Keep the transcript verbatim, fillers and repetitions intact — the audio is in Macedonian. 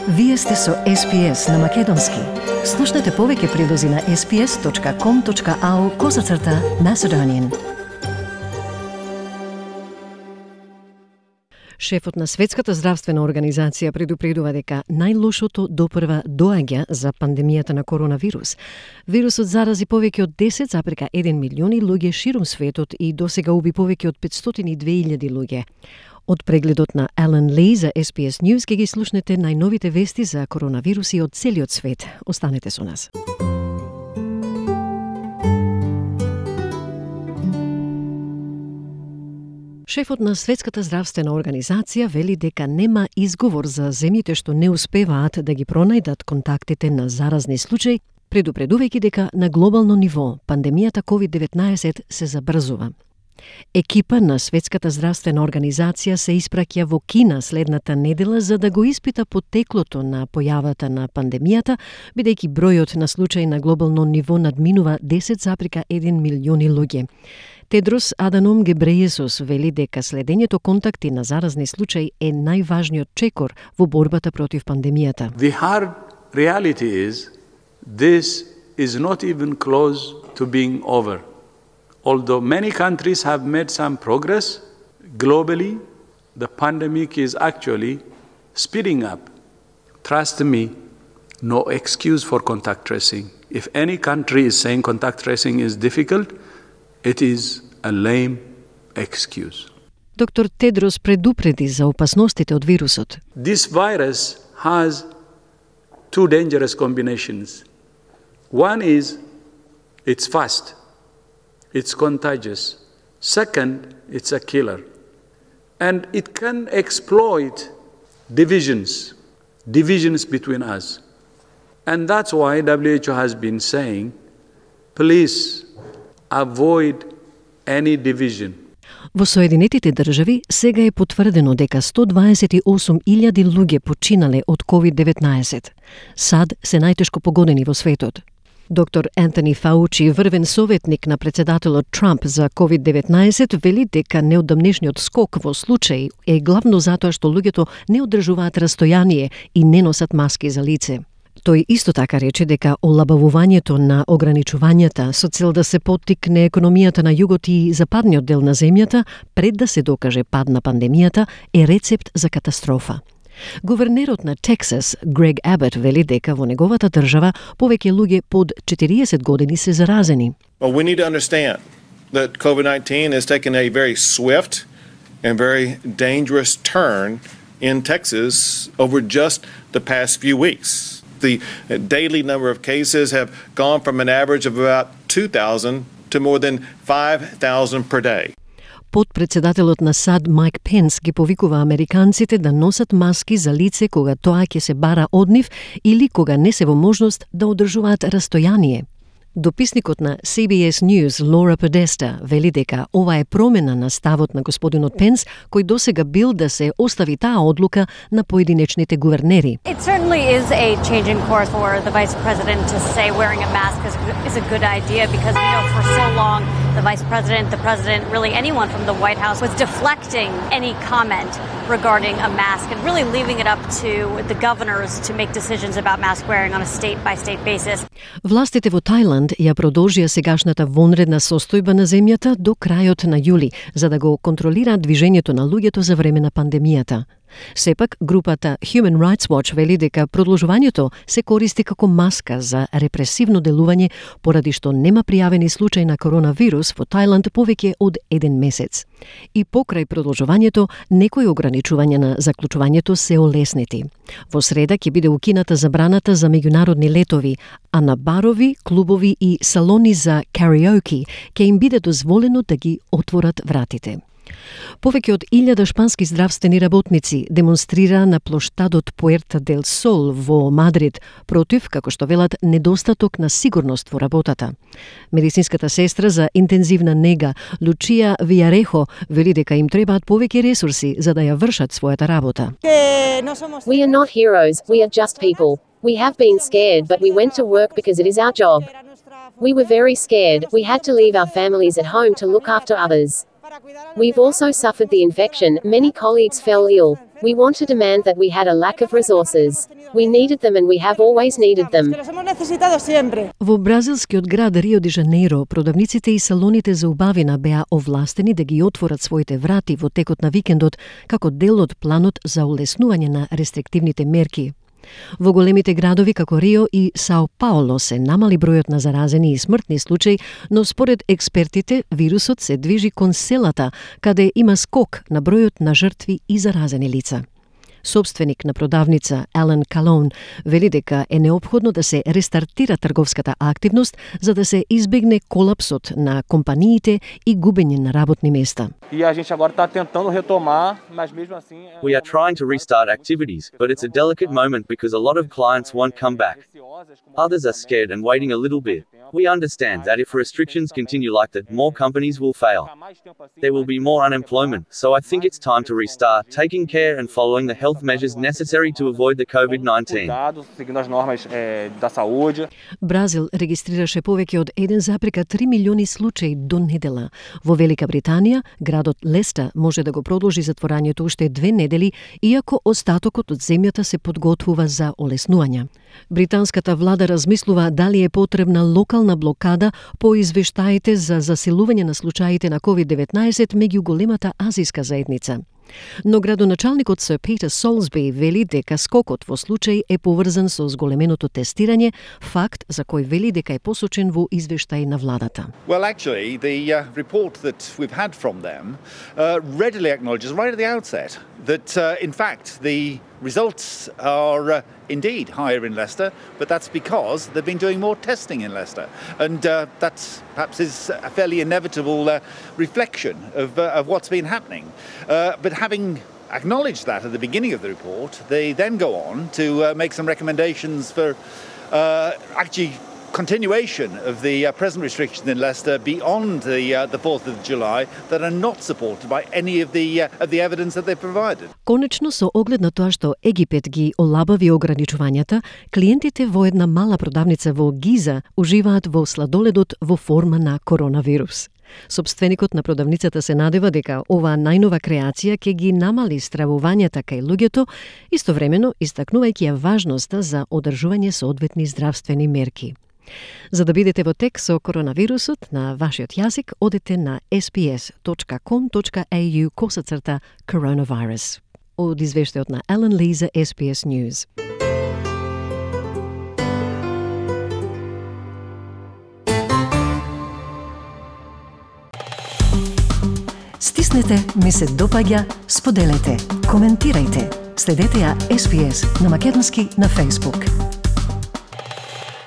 Вие сте со Ес Пи Ес на Македонски. Слушнете повеќе прилози на ес пи ес точка ком точка ау козацрта Macedonian. Шефот на Светската здравствена организација предупредува дека најлошото допрва доаѓа за пандемијата на коронавирус. Вирусот зарази повеќе од десет запирка еден милиони луѓе ширум светот и досега уби повеќе од петстотини и две илјади луѓе. Од прегледот на Елен Ли за Ес Пи Ес News ке ги слушнете најновите вести за коронавируси од целиот свет. Останете со нас. Шефот на Светската здравствена организација вели дека нема изговор за земјите што не успеваат да ги пронајдат контактите на заразни случаи, предупредувајќи дека на глобално ниво пандемијата ковид деветнаесет се забрзува. Екипа на Светската здравствена организација се испраќа во Кина следната недела за да го испита потеклото на појавата на пандемијата, бидејќи бројот на случаи на глобално ниво надминува десет запирка еден милиони луѓе. Тедрос Аданом Гебрејесус вели дека следењето контакти на заразни случаи е најважниот чекор во борбата против пандемијата. The hard reality is this is not even close to being over. Although many countries have made some progress, globally, the pandemic is actually speeding up. Trust me, no excuse for contact tracing. If any country is saying contact tracing is difficult, it is a lame excuse. Доктор Тедрос предупреди за опасностите од вирусот. This virus has two dangerous combinations. One is it's fast. It's contagious. Second, it's a killer. And it can exploit divisions, divisions between us. And that's why W H O has been saying, please avoid any division. Во Соединетите држави сега е потврдено дека сто дваесет и осум илјади луѓе починале од ковид деветнаесет. САД се најтешко погодени во светот. Доктор Ентони Фаучи, врвен советник на председателот Трамп за ковид деветнаесет, вели дека неодамнешниот скок во случаи е главно затоа што луѓето не одржуваат растојание и не носат маски за лице. Тој исто така рече дека олабавувањето на ограничувањата со цел да се поттикне економијата на југот и западниот дел на земјата пред да се докаже пад на пандемијата е рецепт за катастрофа. Гувернерот на Тексас, Грег Абот, вели дека во неговата држава повеќе луѓе под четириесет години се заразени. Well, we need to understand that COVID nineteen has taken a very swift and very dangerous turn in Texas over just the past few weeks. The daily number of cases have gone from an average of about two thousand to more than five thousand per day. Подпредседателот на САД Майк Пенс ги повикува американците да носат маски за лице кога тоа ќе се бара од нив или кога не се во можност да одржуваат растојание. Дописникот на Си Би Ес News Лора Подеста вели дека ова е промена на ставот на господинот Пенс, кој досега бил да се остави таа одлука на поединечните гувернери. It certainly is a change in course for the vice president to say wearing a mask is, is a good idea because we know for so long the vice president, the president, really anyone from the White House was deflecting any comment regarding a mask and really leaving it up to the governors to make decisions about mask wearing on a state-by-state basis. Властите во Тајланд ја продолжија сегашната вонредна состојба на земјата до крајот на јули, за да го контролираат движењето на луѓето за време на пандемијата. Сепак, групата Human Rights Watch вели дека продолжувањето се користи како маска за репресивно делување поради што нема пријавени случаи на коронавирус во Тајланд повеќе од еден месец. И покрај продолжувањето, некои ограничувања на заклучувањето се олеснети. Во среда ќе биде укината забраната за меѓународни летови, а на барови, клубови и салони за кариоки ќе им биде дозволено да ги отворат вратите. Повеќе од илјада шпански здравствени работници демонстрира на плоштадот Пуерта дел Сол во Мадрид против, како што велат, недостаток на сигурност во работата. Медицинската сестра за интензивна нега Лучија Вијарехо вели дека им требаат повеќе ресурси за да ја вршат својата работа. We are not heroes, we are just people. We have been scared, but we went to work because it is our job. We were very scared, we had to leave our families at home to look after others. We've also suffered the infection, many colleagues fell ill. We want to demand that we had a lack of resources. We needed them and we have always needed them. Во бразилскиот град Рио де Жанеиро, продавниците и салоните за убавина беа овластени да ги отворат своите врати во текот на викендот како дел од планот за улеснување на рестриктивните мерки. Во големите градови како Рио и Сао Пауло се намали бројот на заразени и смртни случаи, но според експертите вирусот се движи кон селата, каде има скок на бројот на жртви и заразени лица. Собственик на продавница Елен Калон вели дека е неопходно да се рестартира трговската активност за да се избегне колапсот на компаниите и губење на работни места. E a gente agora está tentando retomar, mas mesmo assim. We are trying to restart activities, but it's a delicate moment because a lot of clients won't come back. Others are scared and waiting a little bit. We understand that if restrictions continue like that, more companies will fail. There will be more unemployment, so I think it's time to restart, taking care and following the health measures necessary to avoid the COVID nineteen. Бразил регистрираше повеќе од еден запирка три милиони случаи до недела. Во Велика Британија, градот Леста може да го продолжи затворањето уште две недели, иако остатокот од земјата се подготвува за олеснување. Британската влада размислува дали е потребна локална блокада по извештаите за засилување на случаите на ковид деветнаесет меѓу големата азиска заедница. Но градоначалникот Сир Питер Солсби вели дека скокот во случај е поврзан со зголеменото тестирање, факт за кој вели дека е посочен во извештај на владата. Well, actually, the uh, report that we've had from them uh, readily acknowledges right at the outset that, uh, in fact, the results are uh, indeed higher in Leicester, but that's because they've been doing more testing in Leicester. And uh, that perhaps is a fairly inevitable uh, reflection of, uh, of what's been happening. Uh, but having acknowledged that at the beginning of the report, they then go on to uh, make some recommendations for uh, actually continuation of the uh, present restrictions in Leicester beyond the uh, the fourth of July that are not supported by any of the uh, of the evidence that they provided. Конечно, со оглед на тоа што Египет ги олабави ограничувањата, клиентите во една мала продавница во Гиза уживаат во сладоледот во форма на коронавирус. Собственикот на продавницата се надева дека оваа најнова креација ќе ги намали стравувањата кај луѓето, истовремено истакнувајќи ја важноста за одржување соодветни здравствени мерки. За да бидете во тек со коронавирусот на вашиот јазик, одете на ес би ес точка ком точка ей ю косацрта coronavirus. Од извештајот на Елен Ли за ес би ес News. Стиснете, ми се допаѓа, споделете, коментирајте. Следете ја ес би ес на македонски на Facebook.